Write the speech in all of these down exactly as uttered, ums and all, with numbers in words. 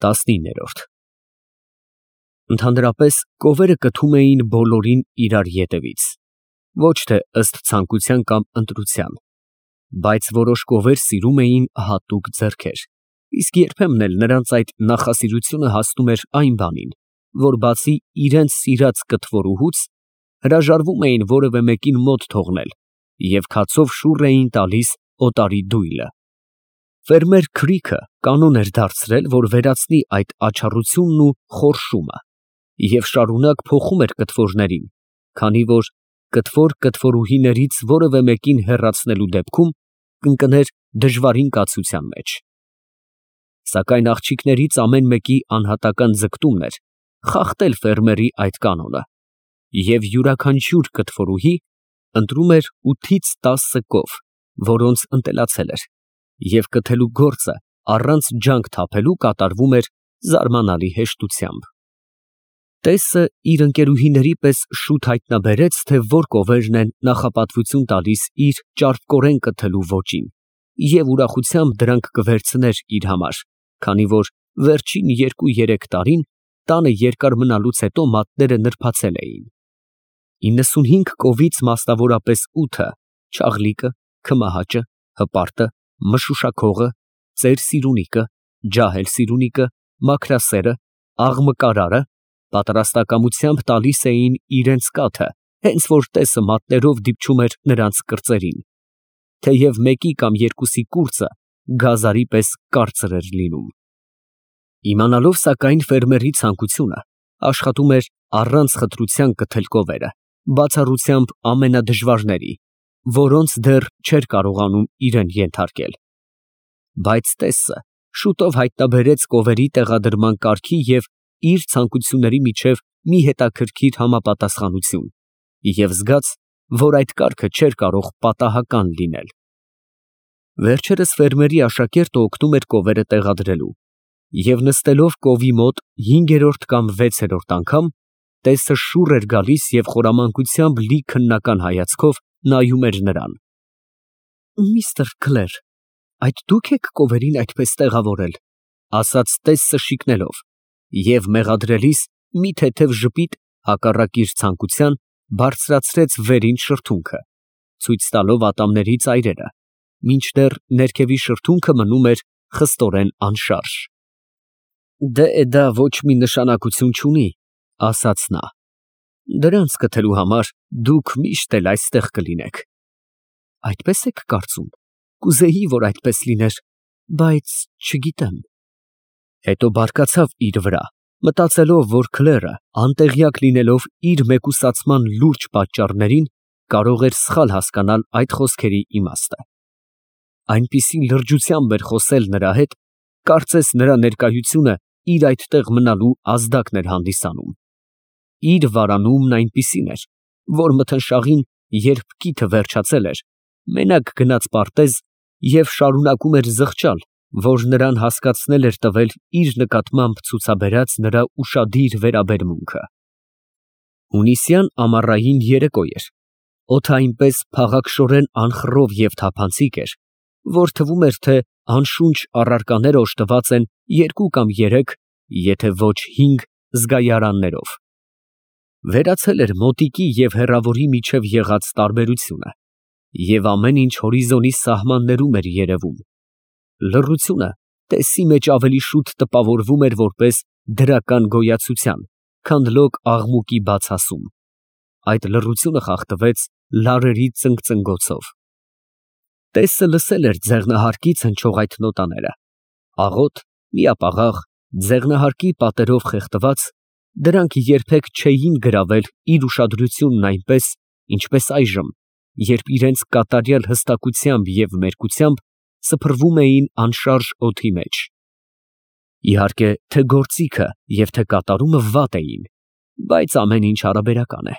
տասնիններորդ Ընդհանրապես կովերը կթում էին բոլորին իրար ետևից, ոչ թե ըստ ցանկության կամ ընտրության, բայց որոշ կովեր սիրում էին հատուկ ձեռքեր, իսկ երբեմն էլ նրանց այդ նախասիրությունը հասնում էր այն բանին, որ բացի իրենց սիրած կթվորուհուց, հրաժարվում էին որևէ մեկին մոտ թողնել և քացով շուռ էին տալիս օտարի դույլը։ Ֆերմեր Քրիքը կանոն էր դարձրել, որ վերացնի այդ աչառությունն ու խորշումը և շարունակ փոխում էր կթվորներին, քանի որ կթվոր կթվորուհիներից որևէ մեկին հեռացնելու դեպքում կընկներ դժվարին կացության մեջ։ Սակայն աղջիկներից ամեն մեկի անհատական ձգտումն էր խախտել ֆերմերի այդ կանոնը, և յուրաքանչյուր կթվորուհի ընտրում էր ութից տասը կով, որոնց ընտելացել էր, և կթելու գործը առանց ջանք թափելու կատարվում էր զարմանալի հեշտությամբ։ Տեսը իր ընկերուհիների պես շուտ հայտնաբերեց, թե որ կովերն են նախապատվություն տալիս իր ճարպկորեն կթելու ոճին, և ուրախությամբ դրանք կվերցներ իր համար, քանի որ վերջին երկու֊երեք տարին տանը երկար մնալուց հետո մատները նրբացել էին։ Իննսունհինգ կովից մասնավորապես ութը չաղլիկը, քմահաճը, հպարտը, մշուշաքողը, ծեր֊սիրունիկը, ջահել֊սիրունիկը, մաքրասերը, աղմկարարը պատրաստակամությամբ տալիս էին իրենց կաթը, հենց որ տեսը մատներով դիպչում էր նրանց կրծերին, թեև մեկի կամ երկուսի կուրծը գազարի պես կարծր էր լինում։ Իմանալով սակայն ֆերմերի ցանկությունը, աշխատում էր առանց խտրության կթել կովերը, բացառությամբ ամենադժվարների, որոնց դեռ չէր կարողանում իրան ենթարկել։ Բայց տեսը շուտով հայտնաբերեց կովերի տեղադրման կարգի և իր ցանկությունների միջև մի հետաքրքիր համապատասխանություն և զգաց, որ այդ կարգը չէր կարող պատահական լինել։ Վերջերս ֆերմերի աշակերտը օգնում էր կովերը տեղադրելու, և նստելով կովի մոտ հինգերորդ կամ վեցերորդ անգամ, տեսը շուռ էր գալիս և խորամանկությամբ լի քննական հայացքով նայում էր նրան։ Միստր Քլեր, այդ դու՞ք եք կովերին այդպես տեղավորել, ֊ ասաց տեսը շիկնելով և մեղադրելիս մի թեթև ժպիտ հակառակ իր ցանկության բարձրացրեց վերին շրթունքը, ցույց տալով ատամների ծայրերը, մինչդեռ ներքևի շրթունքը մնում էր խստորեն անշարժ։ Դե դա ոչ մի նշանակություն չունի, ֊ ասաց նա, դրանց կթելու համար դուք միշտ էլ այստեղ կլինեք։ Այդպե՞ս եք կարծում, կուզեի, որ այդպես լիներ, բայց չգիտեմ։ Հետո բարկացավ իր վրա, մտածելով, որ Քլերը, անտեղյակ լինելով իր մեկուսացման լուրջ պատճառներին, կարող էր սխալ հասկանալ այդ խոսքերի իմաստը։ Այնպիսի լրջությամբ էր խոսել նրա հետ, կարծես նրա ներկայությունը իր այդտեղ մնալու ազդակն էր հանդիսանում։ Իր վարանումն այնպիսին էր, որ մթնշաղին, երբ կիթը վերջացել էր, մենակ գնաց պարտեզ և շարունակում էր զղջալ, որ նրան հասկացնել էր տվել իր նկատմամբ ցուցաբերած նրա ուշադիր վերաբերմունքը։ Հունիսյան ամառային երեկո էր, օդը այնպես փաղաքշորեն անխռով և թափանցիկ էր, որ թվում էր, թե անշունչ առարկաներ օժտված են երկու կամ երեք, եթե ոչ հինգ զգայարաններով։ Վերացել էր մոտիկի և հեռավորի միջև եղած տարբերությունը, և ամեն ինչ հորիզոնի սահմաններում էր երևում։ Լռությունը տեսի մեջ ավելի շուտ տպավորվում էր որպես դրական գոյացության, քան լոկ աղմուկի բացասում։ Այդ լռությունը խախտվեց լարերի ծնգծնգոցով։ Տեսը լսել էր ձեղնահարկից հնչող այդ նոտաները, աղոտ, միապաղաղ, ձեղնահարկի պատերով խեղդված, դրանք երբեք չէին գրավել իր ուշադրությունն այնպես, ինչպես այժմ, երբ իրենց կատարյալ հստակությամբ և մերկությամբ սփռվում էին անշարժ օդի մեջ։ Իհարկե, թե գործիքը և թե կատարումը վատ էին, բայց ամեն ինչ հարաբերական է,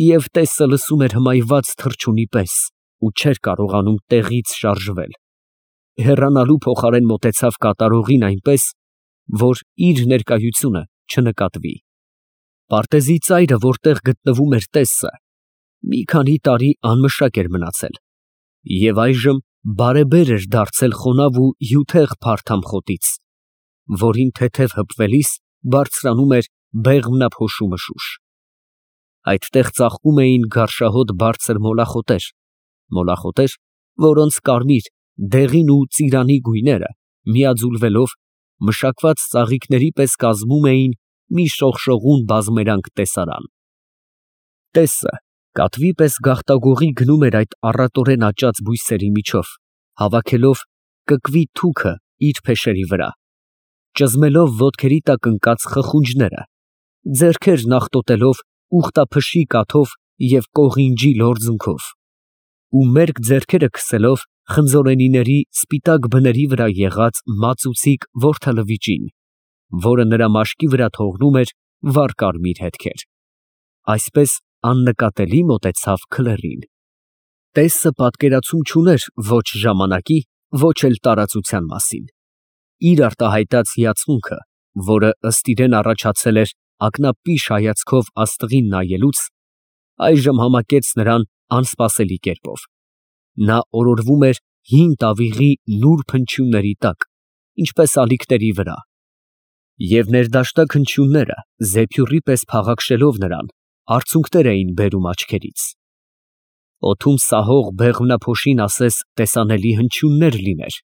և տեսը լսում էր հմայված թռչունի պես ու չէր կարողանում տեղից շարժվել։ Հեռանալու փոխարեն մոտեցավ կատարողին այնպես, որ իր ներկայությունը չնկատվի։ Պարտեզի ծայրը, որտեղ գտնվում էր տեսը, մի քանի տարի անմշակ էր մնացել և այժմ բարեբեր էր դարձել խոնավ ու հյութեղ փարթամ խոտից, որին թեթև հպվելիս բարձրանում էր բեղմնափոշու մշուշ։ Այդտեղ ծաղկում էին գարշահոտ բարձր մոլախոտեր, մոլախոտեր, որոնց կարմիր, դեղին ու ծիրանի գույները միաձուլվելով մշակված ծաղիկների պես կազմում էին մի շողշողուն բազմերանգ տեսարան։ Տեսը կատվի պես գաղտագողի գնում էր այդ առատորեն աճած բույսերի միջով, հավաքելով կկվի թուքը իր փեշերի վրա, ճզմելով ոտքերի տակ ընկած խխունջները, ձեռքերն աղտոտելով ուխտափշի կաթով և կողինջի լորձունքով, ու մերկ ձեռքերը քսելով խնձորենիների սպիտակ բների վրա եղած մածուցիկ որդալվիճին, որը նրա մաշկի վրա թողնում էր վառ կարմիր հետքեր, այսպես աննկատելի մոտեցավ քլեռին։ Տեսը պատկերացում չուներ ոչ ժամանակի, ոչ էլ տարածության մասին։ Իր արտահայտած հիացմունքը, որը ըստ իրան առաջացել էր ակնապիշ հայացքով աստղին նայելուց, այժմ համակեց նրան անսպասելի կերպով։ Նա օրորվում էր հին տավիղի նուրբ հնչյունների տակ, ինչպես ալիքների վրա, և ներդաշնակ հնչյունները, զեփյուռի պես փաղաքշելով նրան, արցունքներ էին բերում աչքերից։ Օդում սահող բեղմնափոշին ասես տեսանելի հնչյուններ լիներ,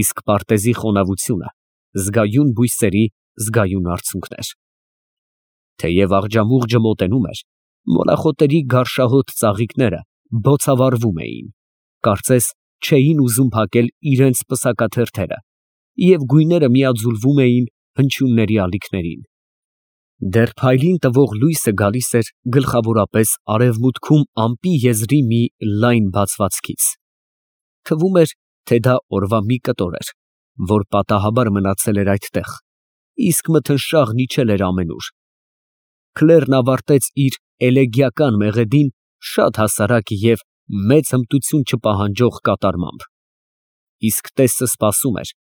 իսկ պարտեզի խոնավությունը զգայուն բույսերի զգայուն արցունքներ։ Թեև աղջամուղջը մոտենում էր, մոլախոտերի գարշահոտ ծաղիկները բոցավառվում էին, կարծես չէին ուզում փակել իրենց պսակաթերթերը, և գույները միաձուլվում էին հնչյունների ալիքներին։ Դեռ փայլին տվող լույսը գալիս էր գլխավորապես արևմուտքում ամպի եզրի մի լայն բացվածքից։ Թվում էր, թե դա օրվա մի կտոր էր, որ պատահաբար մնացել էր այդտեղ, իսկ մթնշաղն իջել էր ամենուր։ Քլեռն ավարտեց իր էլեգիական մեղեդին շատ հասարակ և մեծ հմտություն չպահանջող կատարմամբ, իսկ տեսը սպասում էր,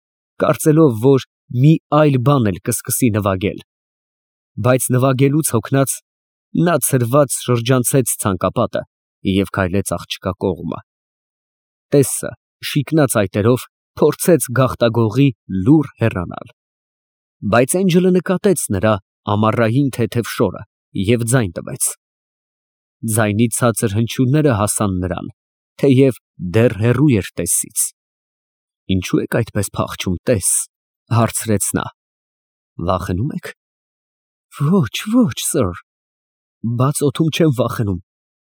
կարծելով, որ մի այլ բան էլ կսկսի նվագել, բայց նվագելուց հոգնած, նա ցրված շրջանցեց ցանկապատը և քայլեց աղջկա կողմը։ Տեսը շիկնած այտերով փորձեց գաղտագողի լուռ հեռանալ, բայց Էնջելը նկատեց նրա ամառային թեթև շորը և ձայն տվեց։ Ձայնի ցածր հնչյունները հասան նրան, թեև դեռ հեռու էր տեսից։ Ինչո՞ւ եք այդպես փախչում, տես, ֊ հարցրեց նա։ Վախենու՞մ եք։ Ոչ, ոչ, սըր, բաց օդում չեմ վախենում,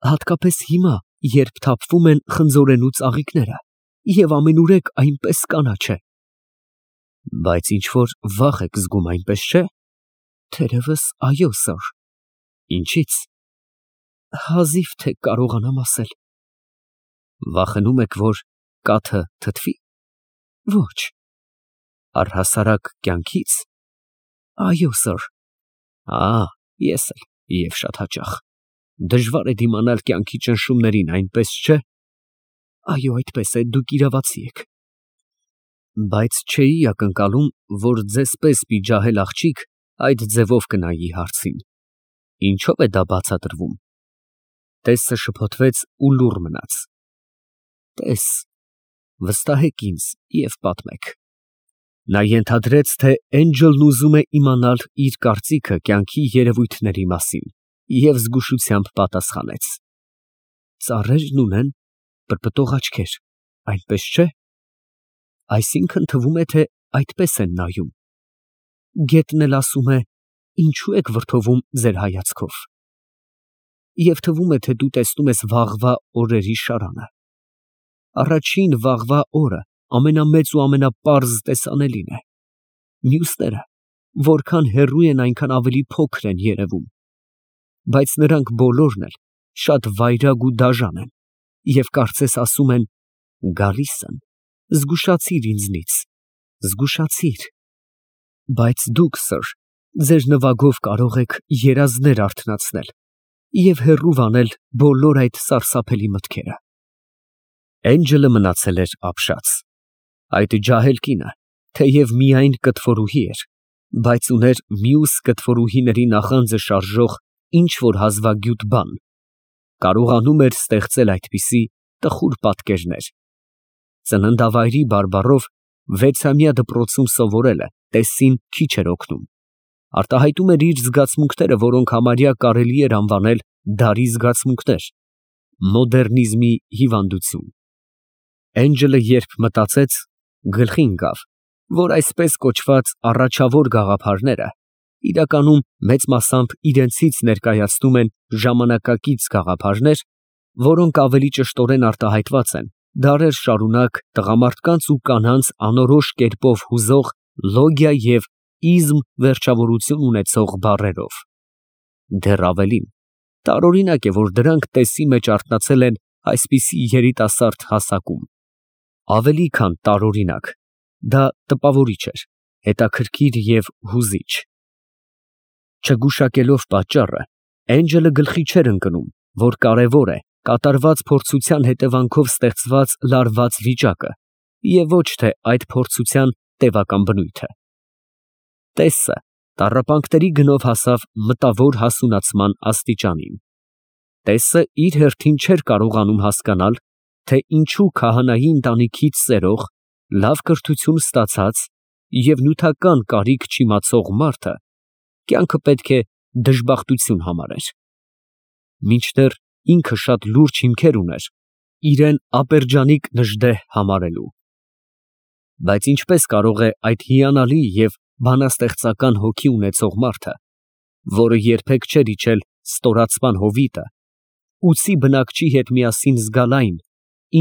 հատկապես հիմա, երբ թափվում են խնձորենու ծաղիկները, և ամենուրեք այնպես կանաչ է։ Բայց ինչ֊որ վախ եք զգում, այնպես չէ։ Թերևս, այո, սըր։ Ինչի՞ց։ Հազիվ թե կարողանամ ասել։ Վախենում եք, որ կաթը թթվի։ Ոչ։ Առհասարակ կյանքից։ Այո, սըր։ Ա, ես էլ, և շատ հաճախ։ Դժվար է դիմանալ կյանքի ճնշումներին, այնպես չէ։ Այո, այդպես է, դուք իրավացի եք։ Բայց չէի ակնկալում, որ ձեզ պես մի ջահել աղջիկ այդ ձևով կնայի հարցին։ Ինչո՞վ է դա բացատրվում։ Տեսը շփոթվեց ու լուռ մնաց։ Տես, վստահեք ինձ և պատմեք։ Նա ենթադրեց, թե Էնջելն ուզում է իմանալ իր կարծիքը կյանքի երևույթների մասին, և զգուշությամբ պատասխանեց. Ծառերն ունեն պրպտող աչքեր, այնպես չէ։ Այսինքն թվում է, թե այդպես են նայում։ Գետն էլ ասում է. ինչու եք վրդովում ձեր հայացքով։ Եվ թվում է, թե դու տեսնում ես վաղվա օրերի շարանը։ Առաջին վաղվա օրը ամենամեծ ու ամենապարզ տեսանելին է։ Մյուսները որքան հեռու են, այնքան ավելի փոքր են երևում, բայց նրանք բոլորն էլ շատ վայրագ ու դաժան են, և կարծես ասում են. գալիս եմ, զգուշացիր ինձնից, զգուշացիր։ Բայց դուք, սըր, ձեր նվագով կարող եք երազներ արթնացնել և հեռու վանել բոլոր այդ սարսափելի մտքերը։ Էնջելը մնացել էր ապշած։ Այդ ջահել կինը, թեև միայն կտվորուհի էր, բայց ուներ մյուս կտվորուհիների նախանձը շարժող ինչ֊որ հազվագյուտ բան, կարողանում էր ստեղծել այդպիսի տխուր պատկերներ։ Ծննդավայրի բարբառով վեցամյա դպրոցում սովորել է, Տեսսին քիչ էր օգնում, արտահայտում էր իր զգացմունքները, որոնք համարյա կարելի էր անվանել դարի զգացմունքներ, մոդեռնիզմի հիվանդություն։ Էնջելը երբ մտածեց, գլխի ընկավ, որ այսպես կոչված առաջավոր գաղափարները իրականում մեծ մասամբ իրենցից ներկայացնում են ժամանակակից գաղափարներ, որոնք ավելի ճշտորեն արտահայտված են դարեր շարունակ տղամարդկանց ու կանանց անորոշ կերպով հուզող լոգիա և իզմ վերջավորություն ունեցող բառերով։ Դեռ ավելին, տարօրինակ է, որ դրանք տեսի մեջ արթնացել են այսպիսի երիտասարդ հասակում։ Ավելի քան տարօրինակ, դա տպավորիչ էր, հետաքրքիր և հուզիչ։ Չգուշակելով պատճառը, Էնջելը գլխի չէր ընկնում, որ կարևոր է կատարված փորձության հետևանքով ստեղծված լարված վիճակը և ոչ թե այդ փորձության տևական բնույթը։ Տեսսը տառապանքների գնով հասավ մտավոր հասունացման աստիճանին։ Տեսսը իր հերթին չէր կարողանում հասկանալ, թե ինչու քահանայի ընտանիքից ծերող, լավ կրթություն ստացած և նյութական կարիք չիմացող մարդը կյանքը պետք է դժբախտություն համարեր։ Մինչդեռ ինքը շատ լուրջ հիմքեր ուներ իրան ապերջանիկ նժդեհ համարելու։ Բայց ինչպես կարող է այդ հիանալի և բանաստեղծական հոգի ունեցող մարդը, որը երբեք չէր իջել ստորացման հովիտը, ուսի բնակչի հետ միասին զգալ այն,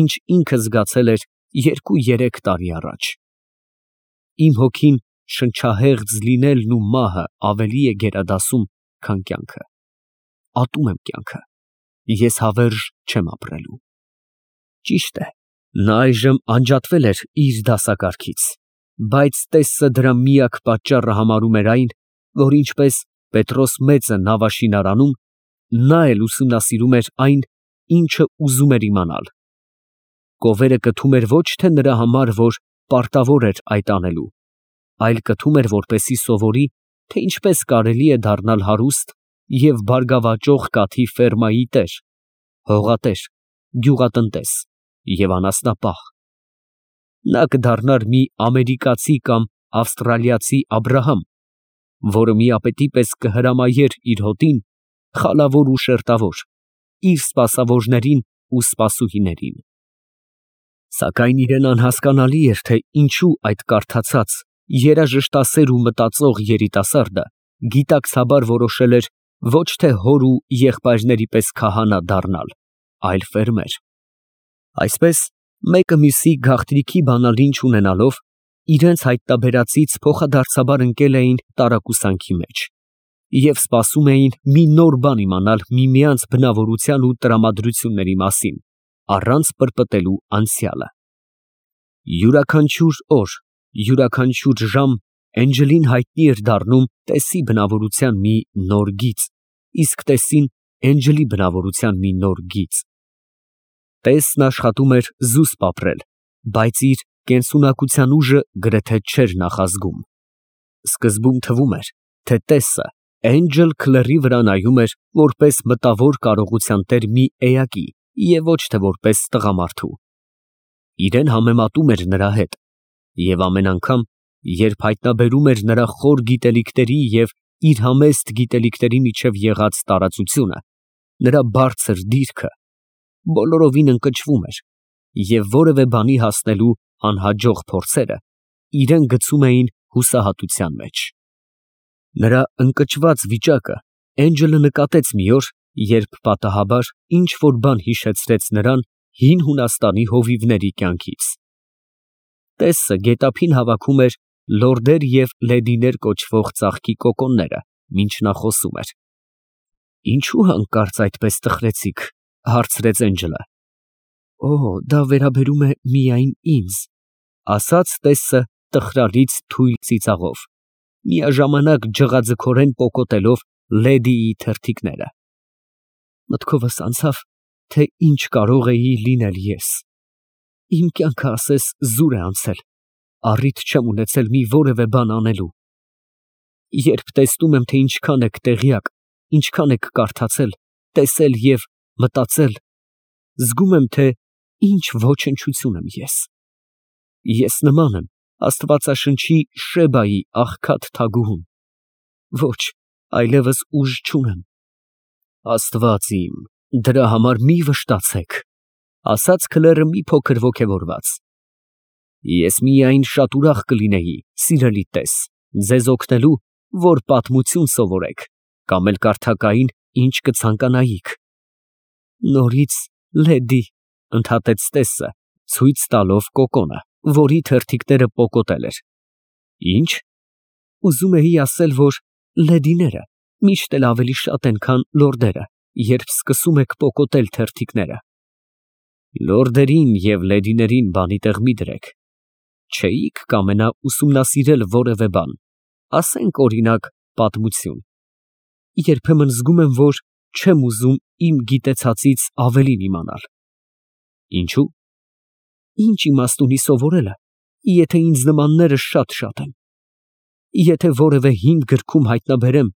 ինչ ինքը զգացել էր երկու֊երեք տարի առաջ։ Իմ հոգին շնչահեղձ լինելն ու մահը ավելի է գերադասում, քան կյանքը։ Ատում եմ կյանքը, ես հավերժ չեմ ապրելու։ Ճիշտ է, նա այժմ անջատվել էր իր դասակարգից, բայց Տեսսը դրա միակ պատճառը համարում էր այն, որ ինչպես Պետրոս Մեծը նավաշինարանում, նա էլ ուսումնասիրում էր այն, ինչը ուզում էր իմանալ։ Կովերը կթում էր ոչ թե նրա համար, որ պարտավոր էր այդ անելու, այլ կթում էր, որպեսզի սովորի, թե ինչպես կարելի է դառնալ հարուստ և բարգավաճող կաթի ֆերմայի տեր, հողատեր, գյուղատնտես և անասնապահ։ Նա կդառնար մի ամերիկացի կամ ավստրալիացի Աբրահամ, որը միապետի պես կհրամայեր իր հոտին, խալավոր ու շերտավոր, իր սպասավորներին ու սպասուհիներին։ Սակայն իրան անհասկանալի էր, թե ինչու այդ կարդացած, երաժշտասեր ու մտածող երիտասարդը գիտակցաբար որոշել էր ոչ թե հոր ու եղբայրների պես քահանա դառնալ, այլ ֆերմեր։ Այսպես, մեկը մյուսի գաղտնիքի բանալին չունենալով, իրենց հայտնաբերածից փոխադարձաբար ընկել էին տարակուսանքի մեջ և սպասում էին մի նոր բան իմանալ միմյանց բնավորության ու տրամադրությունների մասին, առանց պրպտելու անցյալը։ Յուրաքանչյուր օր, յուրաքանչյուր ժամ Էնջելին հայտնի էր դառնում Տեսսի բնավորության մի նոր գիծ, իսկ Տեսսին Էնջելի բնավորության մի նոր գիծ։ Տեսսն աշխատում էր զուսպ ապրել, բայց իր կենսունակության ուժը գրեթե չէր նախազգում։ Սկզբում թվում էր, թե Տեսսը Էնջել Քլերի վրա նայում էր որպես մտավոր կարողության տեր մի էակի և ոչ թե որպես տղամարդու։ Իրան համեմատում էր նրա հետ և ամեն անգամ, երբ հայտնաբերում էր նրա խոր գիտելիքների և իր համեստ գիտելիքների միջև եղած տարածությունը, նրա բարձր դիրքը, բոլորովին ընկճվում էր և որևէ բանի հասնելու անհաջող փորձերը իրան գցում էին հուսահատության մեջ։ Նրա ընկճված վիճակը Էնջելը նկատեց մի օր, երբ պատահաբար ինչ֊որ բան հիշեցրեց նրան հին Հունաստանի հովիվների կյանքից։ Տեսսը գետափին հավաքում էր լորդեր և լեդիներ կոչվող ծաղկի կոկոնները, մինչ նա խոսում էր։ Ինչո՞ւ հանկարծ այդպես տխրեցիք, հարցրեց Էնջելը։ Օ, դա վերաբերում է միայն ինձ, ասաց Տեսսը տխրալից թույլ ծիծաղով, միաժամանակ ջղաձգորեն պոկոտելով լեդիի թերթիկները։ Մտքովս անցավ, թե ինչ կարող էի լինել ես։ Իմ կյանքը ասես զուր է անցել, առիթ չեմ ունեցել մի որևէ բան անելու։ Երբ տեսնում եմ, թե ինչքան եք տեղյակ, ինչքան եք կարդացել, տեսել և մտածել, զգում եմ, թե ինչ ոչնչություն եմ ես։ Ես նման եմ Աստվածաշնչի Շեբայի աղքատ թագուհուն։ Ոչ, այլևս ուժ չունեմ։ Աստված իմ, դրա համար մի վշտացեք, ասաց քլերը մի փոքր ոգևորված։ Ես միայն շատ ուրախ կլինեի, սիրելի տես, ձեզ օգնելու, որ պատմություն սովորեք, կամ էլ կարդակային ինչ կցանկանայիք։ Նորից, լեդի, ընդհատեց տեսը, ցույց տալով կոկոնը, որի թերթիկները պոկոտել էր։ Ինչ։ Ուզում էի ասել, որ լեդիները միշտ էլ ավելի շատ են, քան լորդերը, երբ սկսում եք պոկոտել թերթիկները։ Լորդերին և լեդիներին բանի տեղ մի դրեք։ Չէիք կամենա ուսումնասիրել որևէ բան, ասենք օրինակ պատմություն։ Երբեմն զգում եմ, որ չեմ ուզում իմ գիտեցածից ավելին իմանալ։ Ինչու՞։ Ինչ իմաստ ունի սովորելը, եթե ինձ նմանները շատ-շատ են։ Եթե որևէ հին գրքում հայտնաբերեմ,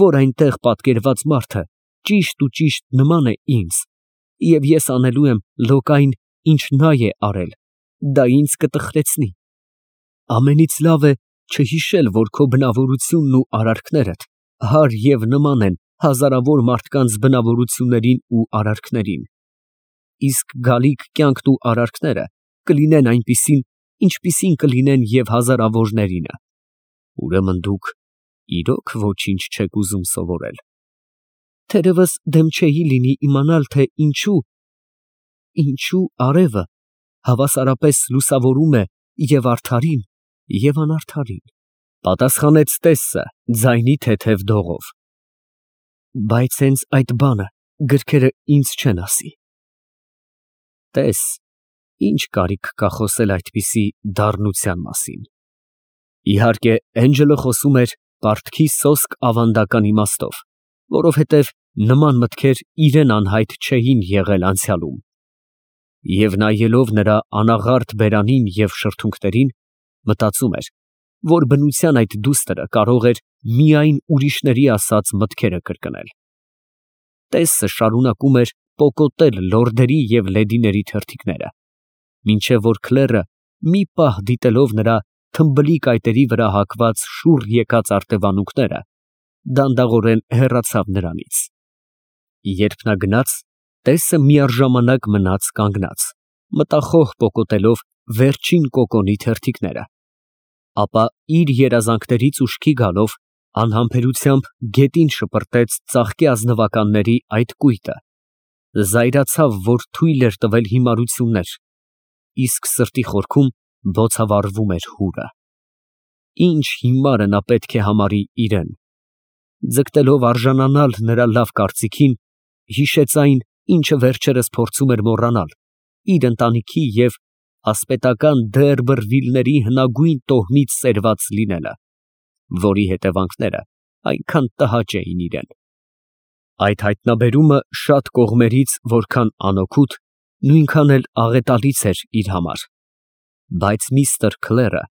որ այնտեղ պատկերված մարդը ճիշտ ու ճիշտ նման է ինձ, և ես անելու եմ լոկ այն, ինչ նա է արել, դա ինձ կտխրեցնի։ Ամենից լավ է չհիշել, որ քո բնավորությունն ու արարքներդ հարկ և նման են հազարավոր մարդկանց բնավորություններին ու արարքներին։ Իսկ գալիք կյանքն ու արարքները կլինեն այնպիսին, ինչպիսին կլինեն և հազարավորներինը։ Ուրեմն դուք իրոք ոչինչ չեք ուզում սովորել։ Թերևս դեմ չէի լինի իմանալ, թե ինչու, ինչու արևը հավասարապես լուսավորում է և արդարին, և անարդարին, պատասխանեց տեսը ձայնի թեթև դողով։ Բայց հենց այդ բանը գրքերը ինձ չեն ասի։ Տես, ինչ կարիք կա խոսել այդպիսի դառնության մասին։ Իհարկե, Էնջելը խոսում էր պարտքի սոսկ ավանդական իմաստով, որովհետև նման մտքեր իրեն անհայտ չէին եղել անցյալում։ Եվ նայելով նրա անաղարտ բերանին և շրթունքներին, մտածում էր, որ բնության այդ դուստրը կարող էր միայն ուրիշների ասած մտքերը կրկնել։ Տեսը շարունակում էր պոկոտել լորդերի և լեդիների թերթիկները, մինչև որ քլերը մի պահ դիտելով նրա թմբլի կայտերի վրա հագված շուռ եկած արտևանունքները, դանդաղորեն հեռացավ նրանից։ Երբ նա գնաց, տեսը միառժամանակ մնաց կանգնած, մտախոհ պոկոտելով վերջին կոկոնի թերթիկները, ապա իր երազանքներից ուշքի գալով անհամբերությամբ գետին շպրտեց ծաղկի ազնվականների այդ կույտը, զայրացավ, որ թույլ էր տվել հիմարություններ, իսկ սրտի խորքում բոցավառվում էր հուրը։ Ինչ հիմարը նա պետք է համարի իրեն։ Ձգտելով արժանանալ նրա լավ կարծիքին, հիշեց այն, ինչը վերջերս փորձում էր մոռանալ, իր ընտանիքի և ասպետական Դերբըրվիլների հնագույն տոհմից սերված լինելը, որի հետևանքները այնքան տհաճ էին իրեն։ Այդ հայտնաբերումը շատ կողմերից որքան անօգուտ, նույնքան էլ աղետալից էր իր համար։ Բայց միստր Քլերը,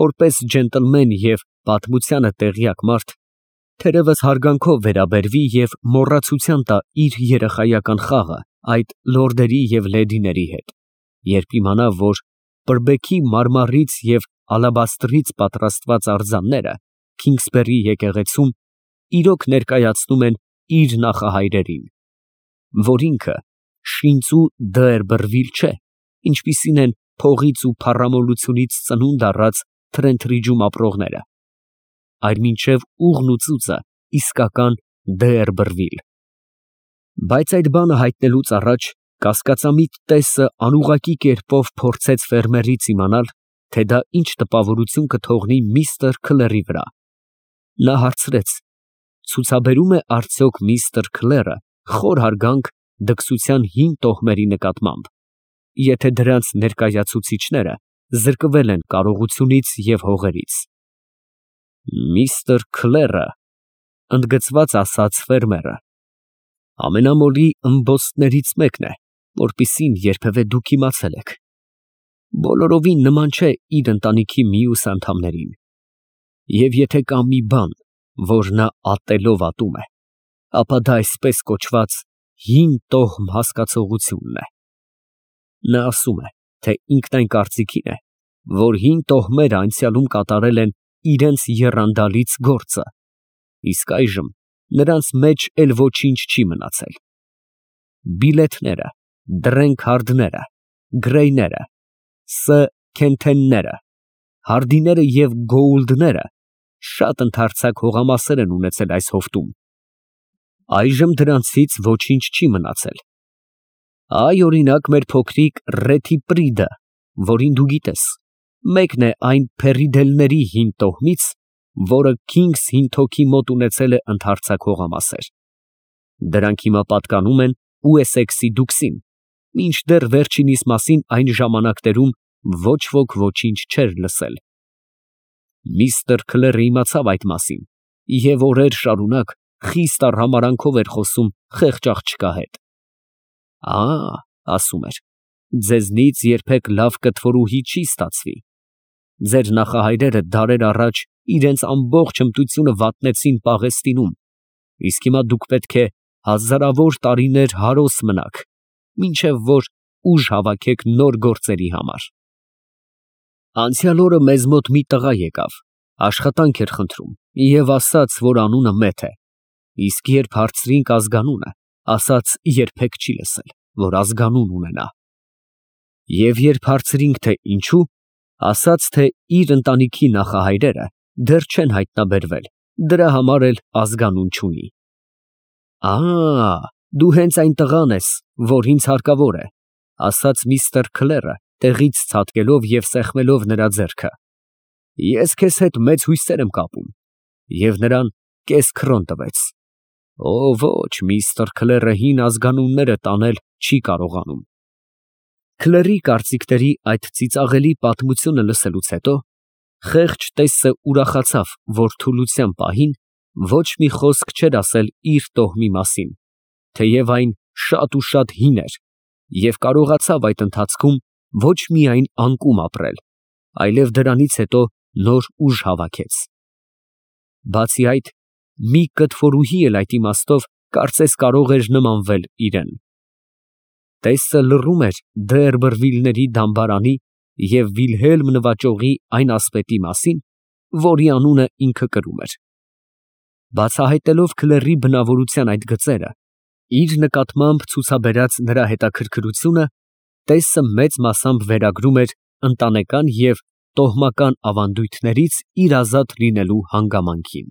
որպես ջենտլմեն և պատմությանը տեղյակ մարդ, թերևս հարգանքով վերաբերվի և մոռացության տա իր երեխայական խաղը այդ լորդերի և լեդիների հետ, երբ իմանա, որ Պրբեքի մարմարից և ալաբաստրից պատրաստված արձանները Քինգսբերի եկեղեցում իրոք ներկայացնում են իր նախահայրերին, որ ինքը շինծու Դերբըրվիլ չէ, ինչպիսին են փողից ու փառամոլությունից ծնունդ առած Թրենթրիջում ապրողները, այլ մինչև ուղն ու ծուծը իսկական Դերբըրվիլ։ Բայց այդ բանը հայտնելուց առաջ կասկածամիտ տեսը անուղղակի կերպով փորձեց ֆերմերից իմանալ, թե դա ինչ տպավորություն կթողնի միստր Քլերի վրա։ Նա հարցրեց. ցուցաբերո՞ւմ է արդյոք միստր Քլերը խոր հարգանք դքսության հին տոհմերի նկատմամբ, եթե դրանց ներկայացուցիչները զրկվել են կարողությունից և հողերից։ Միստր Քլերը, ընդգծված ասաց ֆերմերը, ամենամոլի ըմբոստներից մեկն է, որպիսին երբևէ դուք իմացել եք։ Բոլորովին նման չէ իր ընտանիքի մյուս անդամներին։ Եվ եթե կա մի բան, որ նա ատելով ատում է, ապա դա այսպես կոչված հին տոհմ հասկացողությունն է։ Նա ասում է, թե ինքն այն կարծիքին է, որ հին տոհմերը անցյալում կատարել են իրենց եռանդալից գործը, իսկ այժմ նրանց մեջ էլ ոչինչ չի մնացել։ Բիլեթները, դրենք֊հարդները, գրեյները, ս. քենթենները, հարդիները և գոուլդները շատ ընդարձակ հողամասեր են ունեցել այս հովտում։ Այժմ դրանցից ոչինչ չի մնացել։ Այ, օրինակ, մեր փոքրիկ Ռեթի Պրիդը, որին դու գիտես, մեկն է այն փերիդելների հին տոհմից, որը Քինգս Հինթոքի մոտ ունեցել է ընդարձակ հողամասեր։ Դրանք հիմա պատկանում են Ուեսեքսի դուքսին, մինչդեռ վերջինիս մասին այն ժամանակներում ոչ ոք ոչինչ չէր լսել։ Միստր Քլերը իմացավ այդ մասին և օրեր շարունակ խիստ արհամարհանքով էր խոսում խեղճ աղջկա հետ։ «Ա, — ասում էր, — ձեզնից երբեք լավ կտորուհի չի ստացվի. ձեր նախահայրերը դարեր առաջ իրենց ամբողջ հմտությունը վատնեցին Պաղեստինում, իսկ հիմա դուք պետք է հազարավոր տարիներ հարոս մնաք, մինչև որ ուժ հավաքեք նոր գործերի համար։ Անցյալ օրը մեզ մոտ մի տղա եկավ, աշխատանք էր խնդրում և ասաց, որ անունը Մեթ է, իսկ երբ հարցրինք ազգանունը, ասաց երբեք չի լսել, որ ազգանուն ունենա։ Եվ երբ հարցրինք, թե ինչու, ասաց, թե իր ընտանիքի նախահայրերը դեռ չեն հայտնաբերվել, դրա համար էլ ազգանուն չունի։ «Ա, դու հենց այն տղան ես, որ ինձ հարկավոր է», ֊ ասաց միստր Քլերը, տեղից ցատկելով և սեղմելով նրա ձեռքը։ «Ես քեզ հետ մեծ հույսեր եմ կապում» և նրան կես քրոն տվեց։ «Օ, ոչ, միստր Քլերը հին ազգանունները տանել չի կարողանում»։ Քլերի կարծիքների այդ ծիծաղելի պատմությունը լսելուց հետո խեղճ տեսը ուրախացավ, որ թուլության պահին ոչ մի խոսք չէր ասել իր տոհմի մասին, թեև այն շատ ու շատ հին էր, և կարողացավ այդ ընթացքում ոչ միայն անկում ապրել, այլև դրանից հետո նոր ուժ հավաքեց։ Բացի այդ, մի կտորուհի էլ այդ իմաստով կարծես կարող էր նմանվել իրան։ Տեսը լռում էր Դե Էրբերվիլների դամբարանի և Վիլհելմ նվաճողի այն ասպետի մասին, որի անունը ինքը կրում էր։ Բացահայտելով Քլերի բնավորության այդ գծերը, իր նկատմամբ ցուցաբերած նրա հետաքրքրությունը, տեսը մեծ մասամբ վերագրում էր ընտանեկան և տոհմական ավանդույթներից իր ազատ լինելու հանգամանքին։